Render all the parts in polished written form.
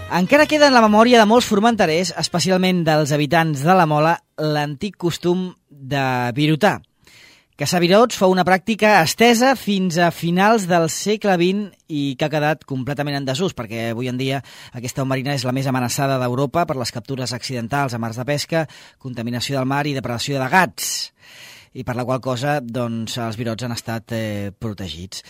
Encara queda en la memòria de molts formenterers, especialment dels habitants de la Mola, l'antic costum de virotar. Caçar virots fou una pràctica estesa fins a finals del segle XX i que ha quedat completament en desús, perquè avui en dia aquesta au marina és la més amenaçada d'Europa per les captures accidentals a mars de pesca, contaminació del mar i depredació de gats, i per la qual cosa doncs, els virots han estat protegits.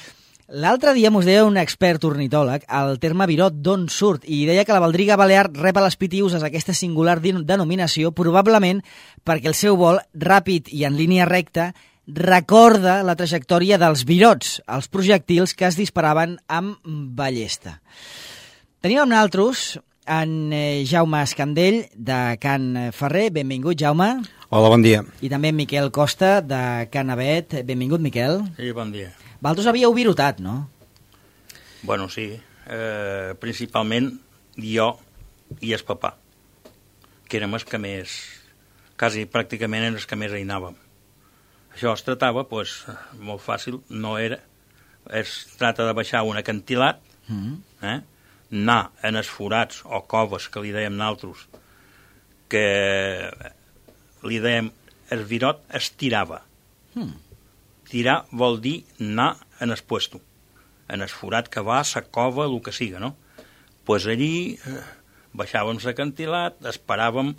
L'altre dia mos deia un expert ornitòleg el terme virot d'on surt i deia que la baldriga balear rep a les pitiüses aquesta singular denominació probablement perquè el seu vol, ràpid i en línia recta, recorda la trajectòria dels virots, els projectils que es disparaven amb ballesta. Tenim amb nosaltres en Jaume Escandell, de Can Ferrer. Benvingut, Jaume. Hola, bon dia. I també en Miquel Costa, de Can Avet. Benvingut, Miquel. Sí, bon dia. Vosaltres havíeu virotat, no? Bueno, sí. Principalment jo i el papà, que érem els que més, quasi pràcticament eren els que més hi anàvem. Això es tratava, doncs, molt fàcil, no era... Es tracta de baixar un acantilat, anar en els forats o coves, que li dèiem nosaltres, que li dèiem el virot es tirava. Tirar vol dir anar en el puesto, en el forat que va, la cova, el que siga, no? Pues allí baixàvem l'acantilat, esperàvem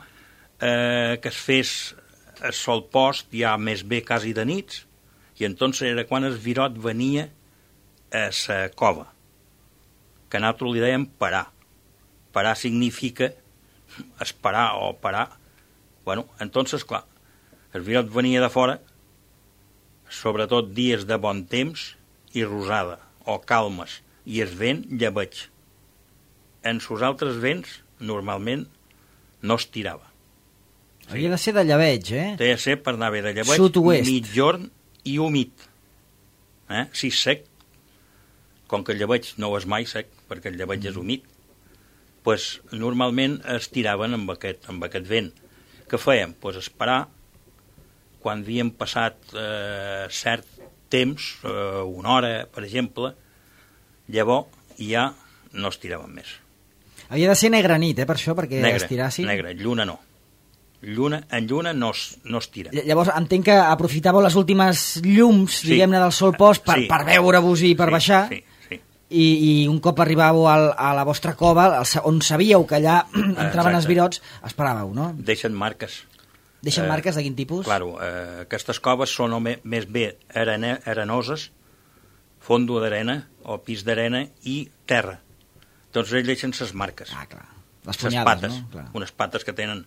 que es fes el sol post, ja més bé quasi de nits, i entonces era quan el virot venia a la cova, que nosaltres li dèiem parar. Parar significa esperar o parar. Bueno, entonces, clar, el virot venia de fora, sobretot dies de bon temps i rosada, o calmes, i el vent llebeig. En els altres vents, normalment, no es tirava. Havia de ser de llebeig, eh? Té de ser per anar bé de llebeig, sud-oest, mitjorn i humit. Si és sec, com que el llebeig no és mai sec, perquè el llebeig és humit, pues, normalment es tiraven amb aquest vent. Què fèiem? Pues esperar, quan havíem passat cert temps, una hora, per exemple, llavors ja no es tiraven més. Havia de ser negra nit, per això, perquè es tirassin. Negra, lluna no. En lluna no es tira. Llavors entenc que aprofitàveu les últimes llums, diguem-ne, del sol post per veure-vos i per baixar. Sí. I un cop arribàveu a la vostra cova, on sabíeu que allà entraven els virots, esperàveu, no? Deixen marques. Deixen marques de quin tipus? Claro, aquestes coves són més bé arenoses, fondo d'arena o pis d'arena i terra. Doncs ells deixen ses marques. Ah, clar. Les punyades, pates, no? Clar. Unes pates que tenen,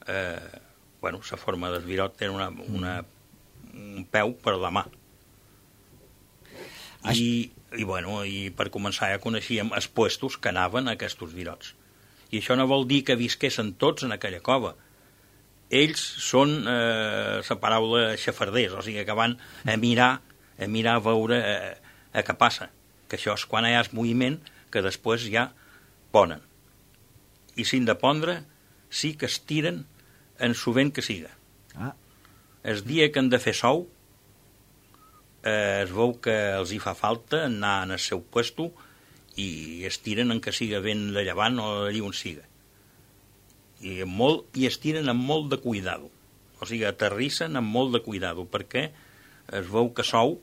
la forma del virot, tenen un peu per la mà. I per començar ja coneixíem els puestos que anaven a aquests virots. I això no vol dir que visquessin tots en aquella cova. Ells són la paraula xafarders, o sigui que van a mirar a veure què passa, que això és quan hi ha el moviment que després ja ponen. I si han de pondre, sí que es tiren en sovent que siga. El dia que han de fer sou, es veu que els hi fa falta anar en el seu puesto i es tiren en que siga vent de llevant o allí on siga. I es tiren amb molt de cuidado, o sigui, aterrissen amb molt de cuidado, perquè es veu que sou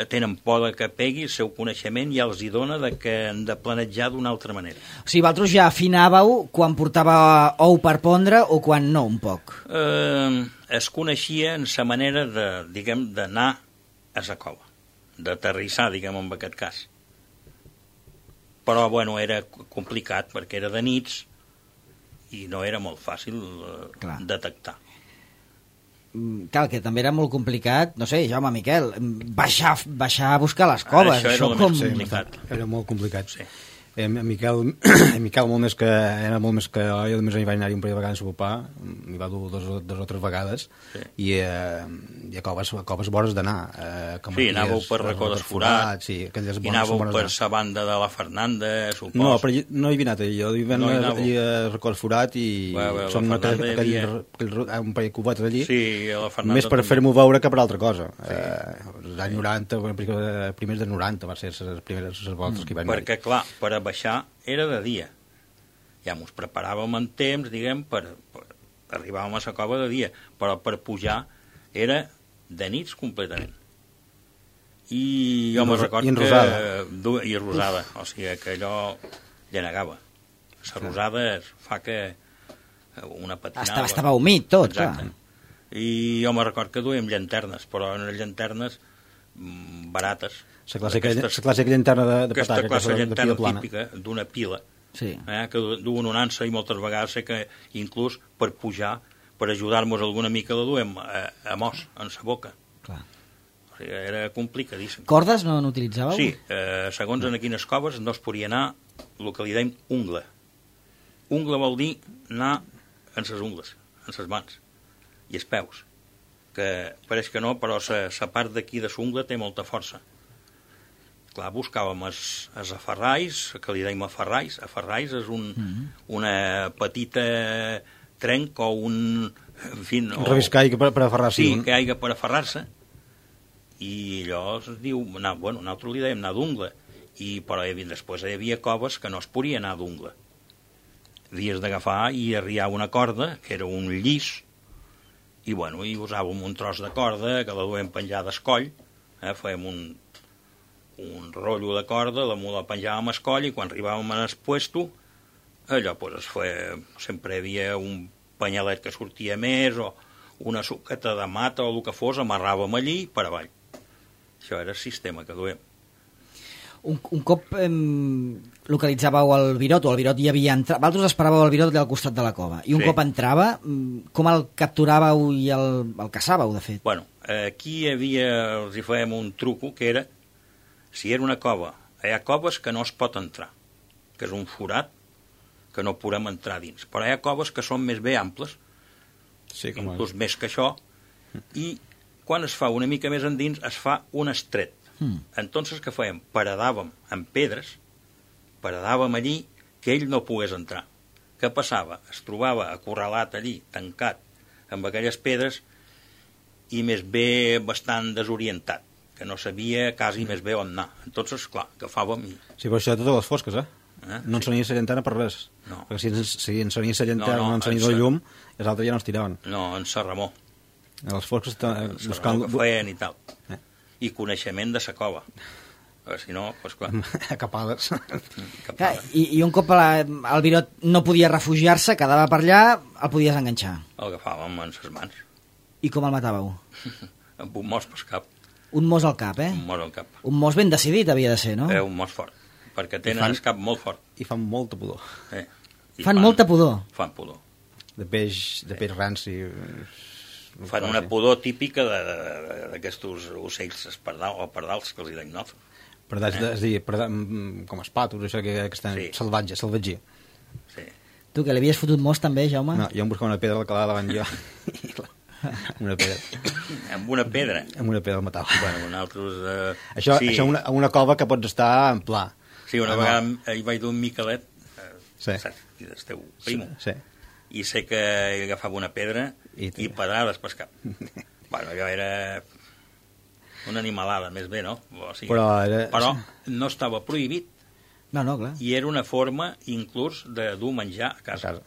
tenen por que pegui el seu coneixement i els hi dona que han de planejar d'una altra manera. O sigui, vosaltres ja afinàveu quan portava ou per pondre o quan no, un poc? Es coneixia en la manera d'anar a la cova, d'aterrissar, en aquest cas. Però, era complicat, perquè era de nits, i no era molt fàcil detectar. Clar, que també era molt complicat, no sé, Jaume, Miquel, baixar a buscar les coves. Això era més complicat. Era molt complicat. Sí. Miquel molt més que jo només hi vaig anar-hi un parell de vegades a sopar, m'hi va dur dos o tres vegades, i a coves vores d'anar. Sí, anàveu per Racó dels Forats, i anàveu per la banda de la Fernanda, supos. No, però no hi havia anat jo hi vam anar allí a Racó dels Forats i són un parell de cubetes allí, més per fer-m'ho veure que per altra cosa. Els anys 90, primers dels 90 va ser les primeres voltes que hi vaig anar. Perquè, clar, per a baixar era de dia. ja ens preparàvem en temps, diguem, arribàvem a la cova de dia, però per pujar era de nits completament. I jo me'n record que... I rosada. O sigui, que allò llenegava. La rosada fa que una patinada... Estava humit tot, exacte. Clar. I jo me'n record que duíem llanternes, però eren llanternes barates. La clàssica llanterna de pataca. Aquesta classe de llanterna típica d'una pila, sí. Que duen un ansa i moltes vegades sé que inclús per pujar, per ajudar-nos alguna mica la duem a mos, en sa boca. Clar. O sigui, era complicadíssim. Cordes no n'utilitzàveu? Sí, segons en quines coves no es podia anar el que li deim ungla. Ungla vol dir anar en ses ungles, en ses mans i els peus, que pareix que no, però la part d'aquí de l'ungla té molta força. Clar, buscàvem els aferrais, que li deim aferrais. Aferrais és una petita trenc o un... En fi, un reviscall per aferrar-se. Sí, que hi ha per aferrar-se. I allò es diu... nosaltres li dèiem anar d'ungla. Però després hi havia coves que no es podia anar d'ungla. Havies d'agafar i arriar una corda, que era un llis, i usàvem un tros de corda que la duem penjada al coll, fèiem un rotllo de corda, la penjàvem al coll, i quan arribàvem al puesto, allò sempre hi havia un panyalet que sortia més, o una suqueta de mata, o el que fos, amarràvem allí per avall. Això era el sistema que duem. Un cop localitzàveu el Virot, o el Virot hi havia entrat, vosaltres esperàveu el Virot al costat de la cova, i un cop entrava, com el capturàveu i el caçàveu, de fet? Aquí els hi fèiem un truco, que era, si era una cova, hi ha coves que no es pot entrar, que és un forat, que no podem entrar dins, però hi ha coves que són més bé amples, inclús més que això, i quan es fa una mica més endins, es fa un estret. Entonces, què fèiem? Paradàvem amb pedres, paradàvem allí que ell no pogués entrar. Què passava? Es trobava acorralat allí, tancat, amb aquelles pedres, i més bé bastant desorientat, que no sabia quasi més bé on anar. Entonces, clar, agafàvem i... Sí, però això de totes les fosques, no ensenia la llantana per res. No. Perquè si ensenia la llantana o no ensenia el llum, els altres ja no es tiraven. No, en sa remor. A les fosques buscant... que feien i tal. I coneixement de sa cova. Si no, doncs clar. Capades. I un cop el Virot no podia refugiar-se, quedava per allà, el podies enganxar. El agafàvem en ses mans. I com el matàveu? Amb un mos pel cap. Un mos al cap, Un mos al cap. Un mos ben decidit havia de ser, no? Un mos fort, perquè tenen el cap molt fort. I fan molta pudor. Fan molta pudor? Fan pudor. De peix ranci... Fan una pudor típica d'aquests ocells pardals que els hi deim nosaltres. Pardals, és a dir, com els patos, això que estan salvatge. Sí. Tu, que l'havies fotut mos també, Jaume? No, jo em buscava una pedra, la calava davant jo. Una pedra. Amb una pedra? Amb una pedra el matava. Nosaltres... Això una cova que pots estar en pla. Sí, una vegada hi vaig dur un Miquelet, el teu primo, i sé que hi agafava una pedra i pedrades pel cap. Allò era una animalada, més bé, no? Però no estava prohibit. No, clar. I era una forma, inclús, de dur menjar a casa.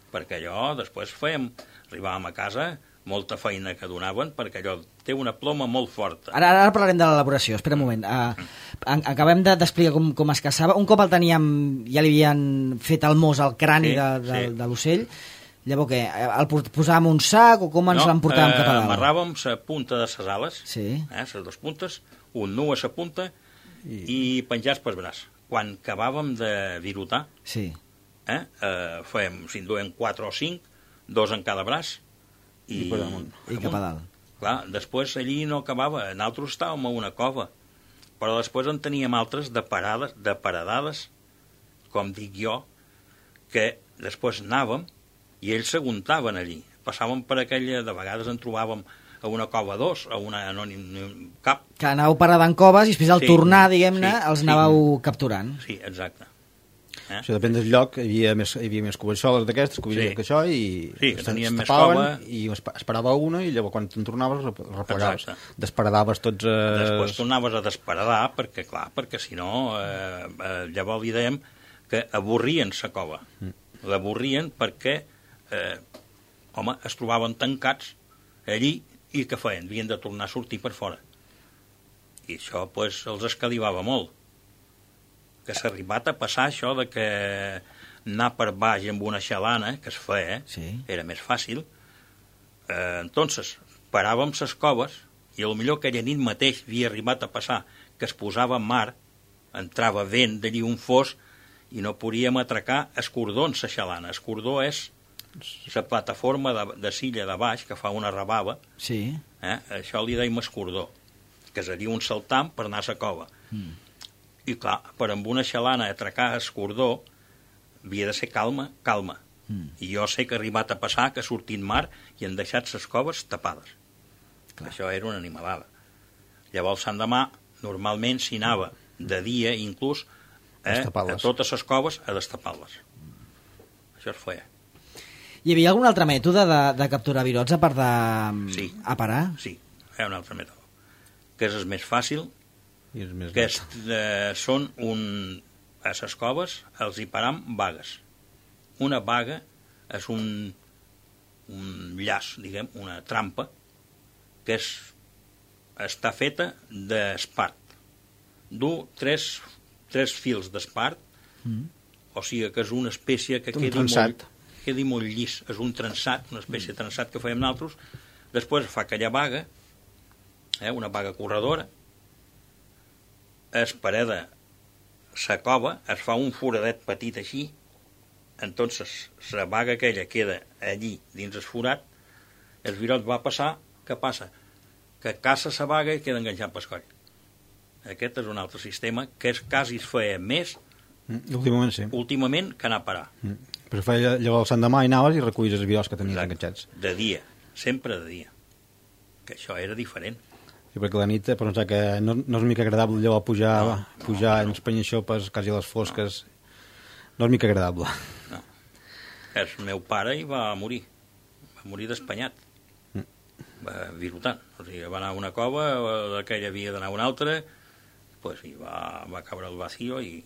Perquè allò, després arribàvem a casa, molta feina que donaven, perquè allò té una ploma molt forta. Ara parlarem de l'elaboració, espera un moment. Acabem d'explicar com es caçava. Un cop el teníem, ja li havien fet el mos al crani de l'ocell, llavors què? El posàvem un sac o com ens l'emportàvem cap a dalt? Amarràvem la punta de les ales, les dues puntes, un nu a la punta i penjats pel braç. Quan acabàvem de virotar, fèiem, si en duem 4 o 5, 2 en cada braç, i cap a dalt. Clar, després allí no acabava, nosaltres estàvem a una cova, però després en teníem altres de paradades, com dic jo, que després anàvem i ells s'aguntaven allí. Passàvem per aquella, de vegades en trobàvem a una cova 2, a una cap. Que anàveu paradant coves i després al tornar, diguem-ne, els anàveu capturant. Sí, exacte. Això depèn del lloc, hi havia més covatxoles d'aquestes, que això, i teníem més cova. I esperava una, i llavors quan te'n tornaves replegaves. Desparadaves tots... Després tornaves a desparadar, perquè si no, llavors li dèiem que avorrien la cova. L'avorrien perquè, es trobaven tancats allí i què feien? Havien de tornar a sortir per fora. I això, els escalivava molt. Que s'ha arribat a passar això de que anar per baix amb una xalana, que es feia, era més fàcil. Entonces, paràvem les coves i potser aquella nit mateix havia arribat a passar que es posava en mar, entrava vent d'allí un fos i no podíem atracar escordó en la xalana. Escordó és la plataforma de silla de baix que fa una rebava. Sí. Això li deim escordó, que seria un saltam per anar a la cova. I clar, per amb una xalana atracar escordó havia de ser calma. I jo sé que ha arribat a passar que sortint mar i han deixat les coves tapades. Clar. Això era una animalada. Llavors, l'endemà, normalment s'hi anava de dia, inclús, a totes les coves a destapar-les. Això es feia. Hi havia algun altre mètode de capturar virots a part de aparar? Sí, hi ha un altre mètode, que és el més fàcil, que són a les coves els hi param vagues. Una vaga és un llaç, diguem, una trampa, que està feta d'espart. Du tres fils d'espart, o sigui que és una espècie que quedi molt llis. És un trançat, una espècie de trançat que fèiem nosaltres. Després fa aquella vaga, una vaga corredora, es pareda la cova, es fa un foradet petit així, entonces la vaga aquella queda allí dins el forat, el virot va passar, què passa? Que caça la vaga i queda enganxat pel coll. Aquest és un altre sistema que quasi es feia més últimament que anar a parar. Però feia llavors l'endemà i anaves i recullis els virots que tenies enganxats. De dia, sempre de dia. Que això era diferent. Sí, perquè la nit, per pensar que no és mica agradable llavors pujar en els penyixopes quasi a les fosques. No és mica agradable. No. El meu pare hi va morir. Va morir d'espanyat. Virotant. O sigui, va anar a una cova, d'aquella havia d'anar a una altra, i va caure el vacío i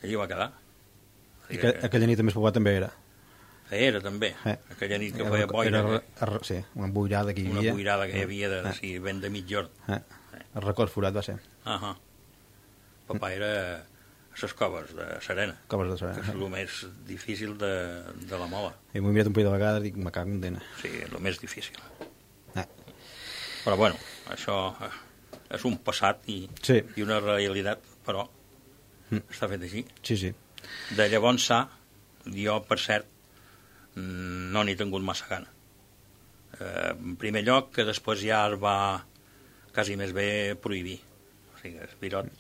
allí va quedar. Aquella nit més poblat també era? Era també. Aquella nit que feia boira. Sí, una boirada que hi havia. Una boirada que hi havia vent de mitjorn. El record forat va ser. Papà era a les coves de Serena. Coves de Serena. Que és el més difícil de la mola. I m'ho he mirat un parell de vegades i dic, me cago en dena. Sí, és el més difícil. Però bueno, això és un passat i una realitat, però està fet així. Sí. De llavors jo, per cert, no n'he tingut massa gana. En primer lloc, que després ja es va quasi més bé prohibir. O sigui, el virot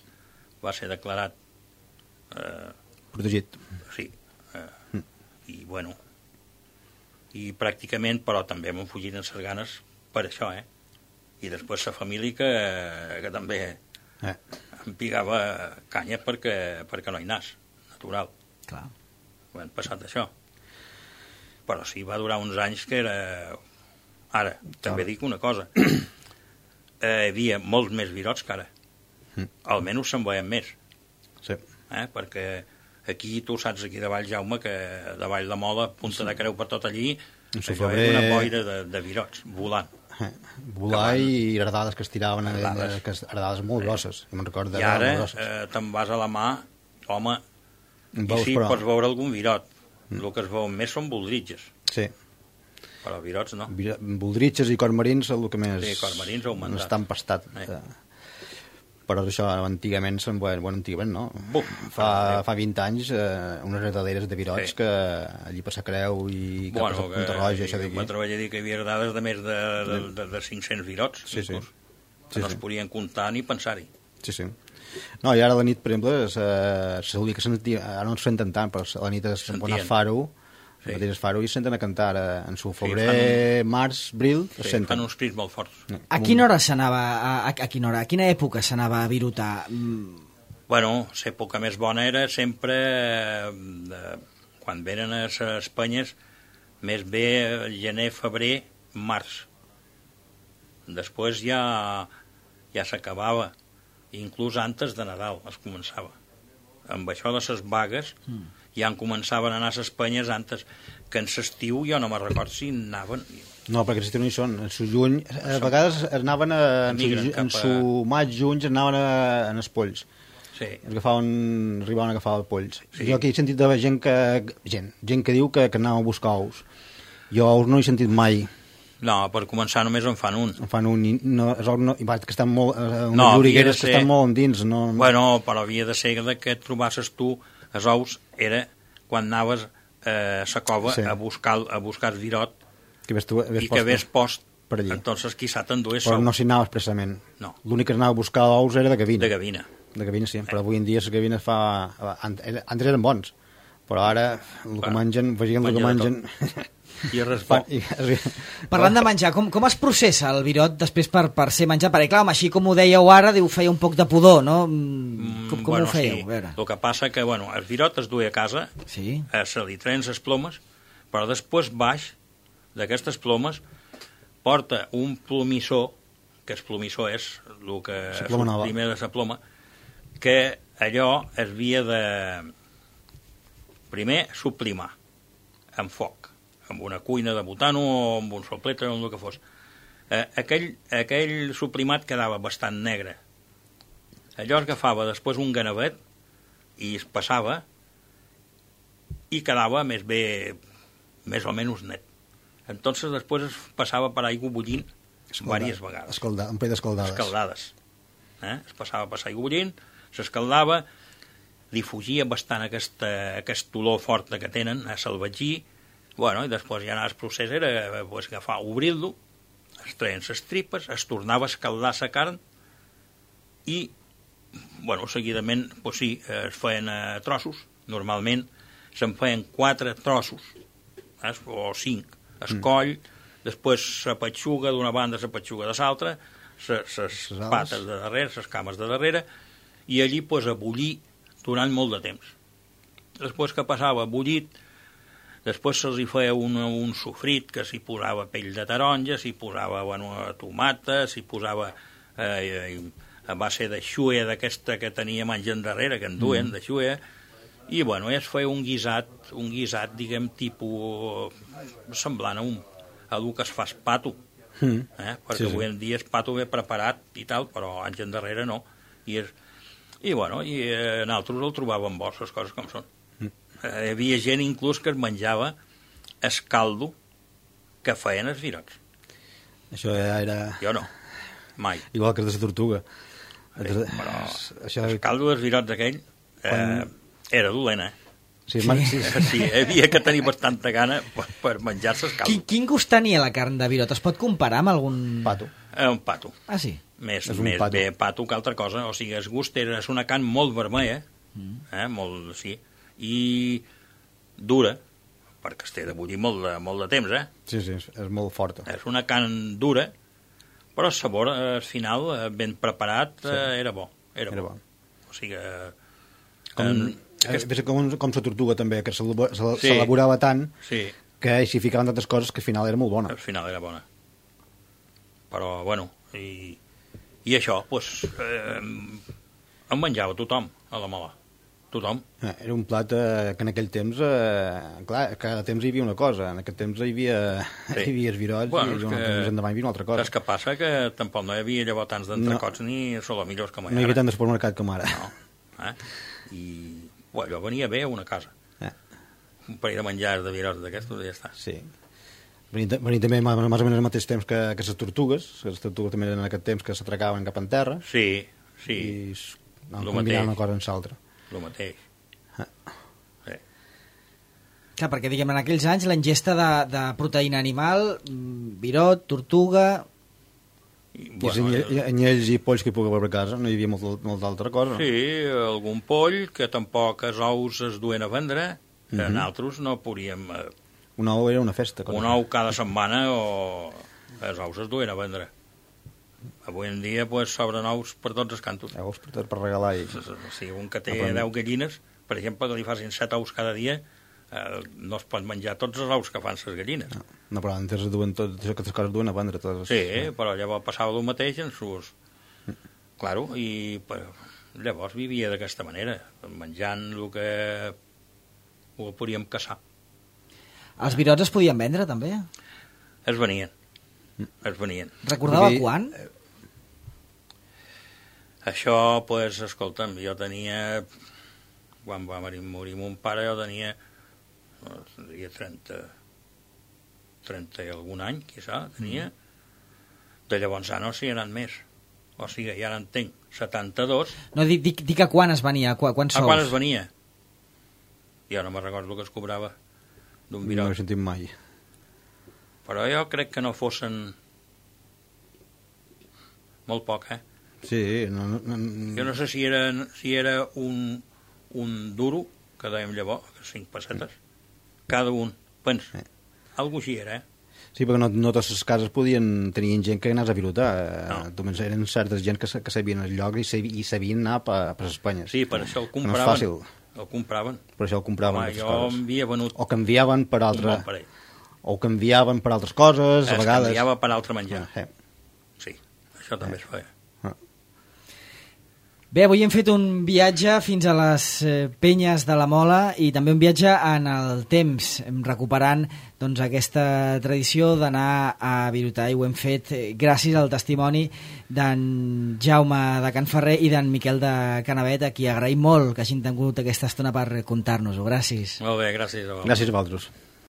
va ser declarat protegit. Sí. I bueno, i pràcticament, però també m'han fugit en les ganes per això, i després la família que també em pigava canya perquè no hi anàs, natural. Clar. Ho han passat això. Però sí, va durar uns anys que era... Ara, també dic una cosa. Hi havia molts més virots que ara. Almenys se'n veien més. Sí. Perquè aquí, tu saps, aquí de Vall Jaume, que de Vall de Mola, Punta de Creu per tot allí, això era una boira de virots, volant. Volar i herdades que es tiraven, herdades molt grosses. I ara te'n vas a la mà, home, i sí, pots veure algun virot. El que es veuen més són voldritges. Sí. Però virots no. Voldritges i cormarins és el que més està empastat. Però això antigament se'n veuen, antigament no? Fa 20 anys unes retaderes de virots que allí per la Creu i cap a Punta Roja, això d'aquí. M'atreveria a dir que hi havia dades de més de 500 virots. Sí. No es podien comptar ni pensar-hi. Sí. No, i ara a la nit, per exemple, ara no es senten tant, però a la nit es pon a Faro, el Faro, i es senten a cantar en su febrer, març, abril, es senten. Fan uns crits molt forts. A quina hora s'anava, a quina època s'anava a virotar? Bueno, l'època més bona era sempre quan venen a les penyes, més bé gener, febrer, març. Després ja s'acabava. Inclús antes de Nadal es començava. amb això de les vagues, ja en començaven a anar a les penyes antes, que en l'estiu jo no me'n record si anaven... No, perquè l'estiu no hi són. En su juny, a vegades anaven en su maig, juny, anaven en els polls. Sí. Arribaven a agafar polls. Sí. Jo aquí he sentit de gent que diu que anaven a buscar ous. Jo ous no he sentit mai. No, per començar només en fan un. En fan un, i que estan molt... unes llorigueres que estan molt endins. No... Bueno, però havia de ser que trobasses tu els ous, era quan anaves a la cova a buscar el virot i que hagués post per allí. Entonces quizá t'endués però no s'hi anava expressament. No. L'únic que anava a buscar ous era de gavina. De gavina, sí, però avui en dia les gavines antes eren bons, però ara el que mengen, vegem el que mengen... I res bo. Parlant de menjar, com es processa el virot després per ser menjat? Perquè clar, així com ho dèieu ara, feia un poc de pudor, no? Com ho fèieu? Sí. El que passa que el virot es duia a casa, sí. Se li treien les plomes, però després baix d'aquestes plomes porta un plomissó, que el plomissó és el que és primer de la ploma, que allò es havia de primer sublimar amb foc, amb una cuina de butano o amb un sopletre o amb el que fos. Aquell sublimat quedava bastant negre. Allò es agafava després un ganavet i es passava i quedava més o menys net. Entonces després es passava per aigua bullint diverses vegades. Un parell escaldades. Es passava per aigua bullint, s'escaldava, li fugia bastant aquest olor fort que tenen, a salvatgir, i després ja el procés era agafar, obrir-lo, es treien les tripes, es tornava a escaldar la carn i, seguidament, es feien trossos, normalment se'n feien 4 trossos, o 5, es coll, després la petxuga d'una banda, la petxuga de l'altra, les pates de darrere, les cames de darrere, i allí a bullir durant molt de temps. Després que passava bullit, després se'ls feia un sofrit que s'hi posava pell de taronja, s'hi posava tomata, s'hi posava a base de xuea d'aquesta que tenia menjant darrere, que en duen, de xuea, i es feia un guisat, diguem, tipus semblant a el que es fa pato, perquè avui en dia és pato ben preparat i tal, però anys endarrere no, i nosaltres el trobàvem bo, les coses com són. Hi havia gent inclús que es menjava el caldo que feien els virots. Això era... Jo no, mai. Igual que el de la tortuga. Però el caldo dels virots aquell era dolent, Sí, hi havia que tenir bastanta gana per menjar-se el caldo. Quin gust tenia la carn de virot? Es pot comparar amb algun... Pato. Un pato. Ah, sí? Més bé pato que altra cosa. O sigui, el gust és una carn molt vermella, molt, sí, i dura, perquè es té de bullir molt de temps, Sí, és molt forta. És una carn dura, però el sabor, al final, ben preparat, era bo. Era bo. O sigui, com la tortuga també, que s'elaborava tant que s'hi ficaven tantes coses que al final era molt bona. Al final era bona. Però, i això, doncs, en menjava tothom a la Mola. Tothom. Era un plat que en aquell temps, clar, cada temps hi havia una cosa. En aquest temps hi havia els virots i més endavant hi havia una altra cosa. Saps què passa? Que tampoc no hi havia llavors tants d'entrecots ni solomillos com ara. No hi havia tant de supermercat com ara. No. I allò venia bé a una casa. Un parell de menjars de virots d'aquestos i ja està. Sí. Venia també més o menys al mateix temps que les tortugues. Les tortugues també eren en aquest temps que s'atracaven cap en terra. Sí. I anaven combinant una cosa amb l'altra. El mateix. Sí. Clar, perquè diguem, en aquells anys la ingesta de proteïna animal, virot, tortuga... Anyells i polls que hi pugui haver a casa, no hi havia molt d'altra cosa. Sí, algun poll, que tampoc els ous es duen a vendre, que nosaltres no podíem... Un ou era una festa. Un ou cada setmana o els ous es duen a vendre. Avui en dia s'obren ous per tots els cantos. Ous per regalar. Si un que té 10 gallines, per exemple, que li facin 7 ous cada dia, no es pot menjar tots els ous que fan les gallines. No, però antes aquestes coses duen a vendre. Sí, però llavors passava el mateix en sus... Claro, i Llavors vivia d'aquesta manera, menjant el que podíem caçar. Els virots es podien vendre, també? Es venien. Recordava quan? Això, pues, escolta'm, jo tenia... Quan va morir mon pare, jo tenia 30 i algun any, quizà, tenia. De llavors no s'hi ha anat més. O sigui, ja n'entenc, 72. No, dic a quan es venia, quan sous? A quan es venia? Jo no me'n recordo el que es cobrava d'un virot. No he sentit mai. Però jo crec que no fossin molt poc, Sí, Jo no sé si era un duro, que dèiem llavors, 5 pessetes, cada un. Pens, algú així era, Sí, perquè no totes les cases tenien gent que anés a pilotar. Només eren certes gent que sabien el lloc i sabien anar per Espanya. Sí, per això el compraven. No és fàcil. El compraven. Per això el compraven. Home, jo m'havia venut o canviaven per un bon parell. O canviaven per altres coses, a vegades. Es canviava per altre menjar. Sí, això també es feia. Bé, avui hem fet un viatge fins a les penyes de la Mola i també un viatge en el temps, recuperant doncs, aquesta tradició d'anar a virotar, i ho hem fet gràcies al testimoni d'en Jaume de Can Ferrer i d'en Miquel de Canavet, a qui agraïm molt que hagin tingut aquesta estona per contar-nos-ho. Gràcies. Molt bé, gràcies a vosaltres. Gràcies a vosaltres.